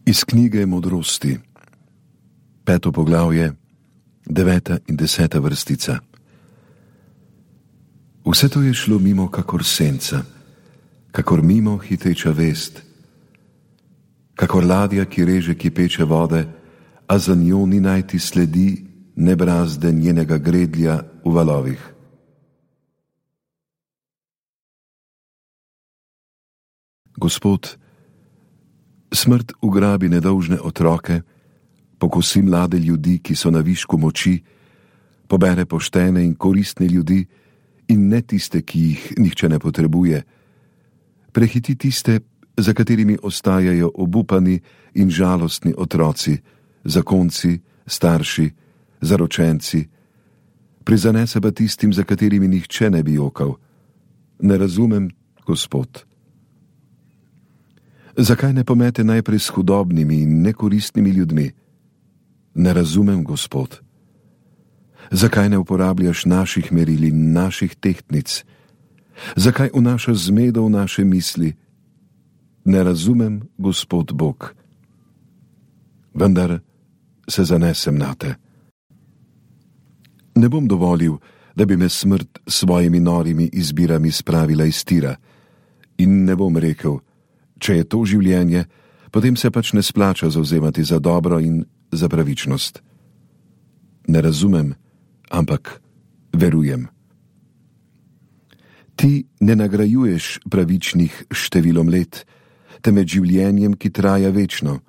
Iz knjige Modrosti, 5. poglavje, 9. in 10. vrstica. Vse to je šlo mimo kakor senca, kakor mimo hiteča vest, kakor ladja, ki reže kipeče vode, a za njo ni najti sledi ne brazde njenega gredlja v valovih. Gospod, smrt ugrabi nedolžne otroke, pokosi mlade ljudi, ki so na višku moči, pobere poštene in koristne ljudi in ne tiste, ki jih nihče ne potrebuje, prehiti tiste, za katerimi ostajajo obupani in žalostni otroci, zakonci, starši, zaročenci, prizanese pa tistim, za katerimi nihče ne bi jokal. Ne razumem, Gospod. Zakaj ne pomete najprej s hudobnimi in nekoristnimi ljudmi? Ne razumem, Gospod. Zakaj ne uporabljaš naših meril in naših tehtnic? Zakaj vnašaš zmedo v naše misli? Ne razumem, Gospod Bog. Vendar se zanesem nate. Ne bom dovolil, da bi me smrt s svojimi norimi izbirami spravila iz tira, in ne bom rekel, če je to življenje, potem se pač ne splača zavzemati za dobro in za pravičnost. Ne razumem, ampak verujem. Ti ne nagrajuješ pravičnih številom let, temveč življenjem, ki traja večno.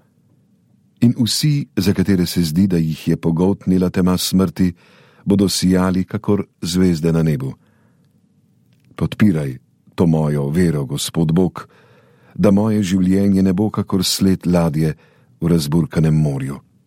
In vsi, za katere se zdi, da jih je pogoltnila tema smrti, bodo sijali kakor zvezde na nebu. Podpiraj to mojo vero, Gospod Bog, da moje življenje ne bo kakor sled ladje v razburkanem morju.